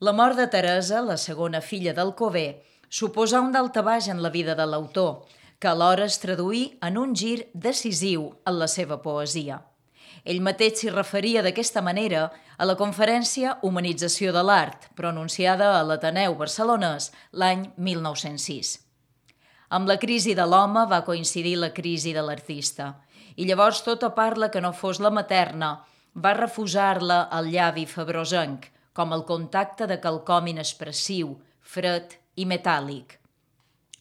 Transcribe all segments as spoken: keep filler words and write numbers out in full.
La mort de Teresa, la segona filla d'Alcover, suposà un daltabaix en la vida de l'autor, que alhora es traduí en un gir decisiu en la seva poesia. Ell mateix s'hi referia d'aquesta manera a la conferència Humanització de l'Art, pronunciada a l'Ateneu barcelonès l'any mil nou-cents sis. Amb la crisi de l'home va coincidir la crisi de l'artista, i llavors tota parla que no fos la materna va refusar-la al llavi febrosenc, com el contacte de quelcom inexpressiu, fred i metàl·lic.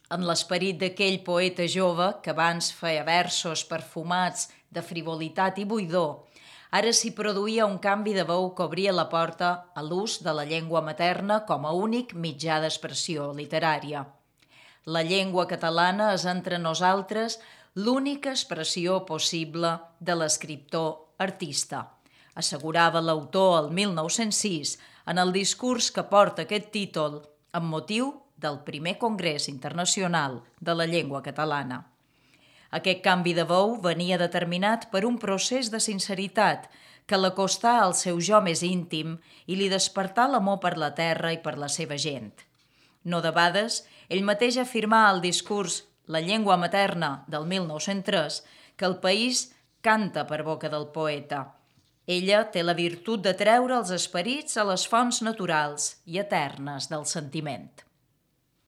En l'esperit d'aquell poeta jove que abans feia versos perfumats de frivolitat i buidor, ara s'hi produïa un canvi de veu que obria la porta a l'ús de la llengua materna com a únic mitjà d'expressió literària. La llengua catalana és entre nosaltres l'única expressió possible de l'escriptor artista, assegurava l'autor el mil nou-cents sis en el discurs que porta aquest títol amb motiu del primer Congrés Internacional de la Llengua Catalana. Aquest canvi de veu venia determinat per un procés de sinceritat que l'acostà al seu jo més íntim i li despertà l'amor per la terra i per la seva gent. No debades, ell mateix afirmà al discurs La llengua materna del mil nou-cents tres que el país canta per boca del poeta. Ella té la virtut de treure els esperits a les fonts naturals i eternes del sentiment.